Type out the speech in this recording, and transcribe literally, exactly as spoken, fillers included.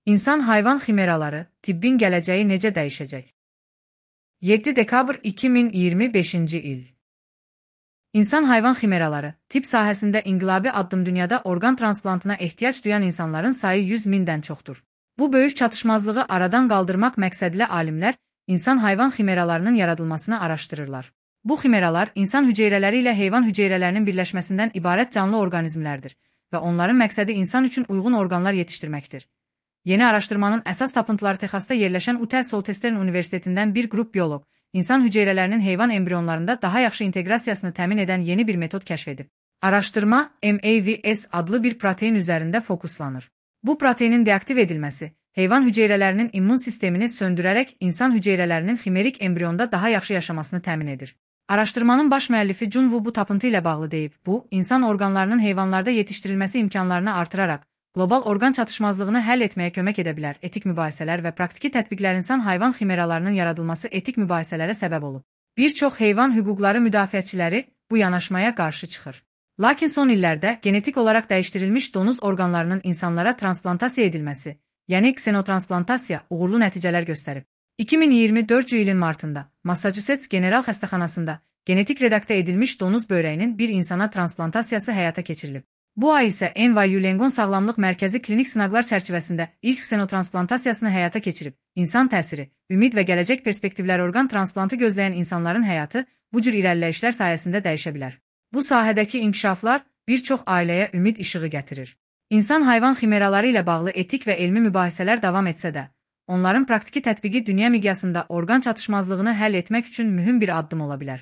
İnsan-hayvan ximeraları, tibbin gələcəyi necə dəyişəcək? yeddi dekabr iki min iyirmi beşinci il. İnsan-hayvan ximeraları, tibb sahəsində inqilabi addım dünyada orqan transplantına ehtiyac duyan insanların sayı yüz mindən çoxdur. Bu böyük çatışmazlığı aradan qaldırmaq məqsədilə alimlər, insan-hayvan ximeralarının yaradılmasını araşdırırlar. Bu ximeralar, insan hüceyrələri ilə heyvan hüceyrələrinin birləşməsindən ibarət canlı orqanizmlərdir və onların məqsədi insan üçün uyğun orqanlar yetişdirməkdir. Yeni araşdırmanın əsas tapıntıları Texasda yerləşən U T Southwestern Universitetindən bir qrup bioloq, insan hüceyrələrinin heyvan embrionlarında daha yaxşı inteqrasiyasını təmin edən yeni bir metod kəşf edib. Araşdırma M A V S adlı bir protein üzərində fokuslanır. Bu proteinin deaktiv edilməsi, heyvan hüceyrələrinin immun sistemini söndürərək insan hüceyrələrinin ximerik embrionda daha yaxşı yaşamasını təmin edir. Araşdırmanın baş müəllifi Jun Wu bu tapıntı ilə bağlı deyib, bu, insan orqanlarının heyvanlarda yetişdirilməsi imkanlarını artıraraq, qlobal orqan çatışmazlığını həll etməyə kömək edə bilər. Etik mübahisələr və praktiki tətbiqlər insan-hayvan ximeralarının yaradılması etik mübahisələrə səbəb olub. Bir çox heyvan hüquqları müdafiəçiləri bu yanaşmaya qarşı çıxır. Lakin son illərdə genetik olaraq dəyişdirilmiş donuz orqanlarının insanlara transplantasiya edilməsi, yəni ksenotransplantasiyaya uğurlu nəticələr göstərib. iki min iyirmi dördüncü ilin martında Massachusetts General Xəstəxanasında genetik redaktə edilmiş donuz böyrəyinin bir insana transplantasiyası həyata keçirilib. Bu ay isə N Y U Langone Sağlamlıq Mərkəzi klinik sınaqlar çərçivəsində ilk ksenotransplantasiyasını həyata keçirib. İnsan təsiri, ümid və gələcək perspektivlər orqan transplantı gözləyən insanların həyatı bu cür irəliləyişlər sayəsində dəyişə bilər. Bu sahədəki inkişaflar bir çox ailəyə ümid işığı gətirir. İnsan-hayvan ximeraları ilə bağlı etik və elmi mübahisələr davam etsə də, onların praktiki tətbiqi dünya miqyasında orqan çatışmazlığını həll etmək üçün mühüm bir addım ola bilər.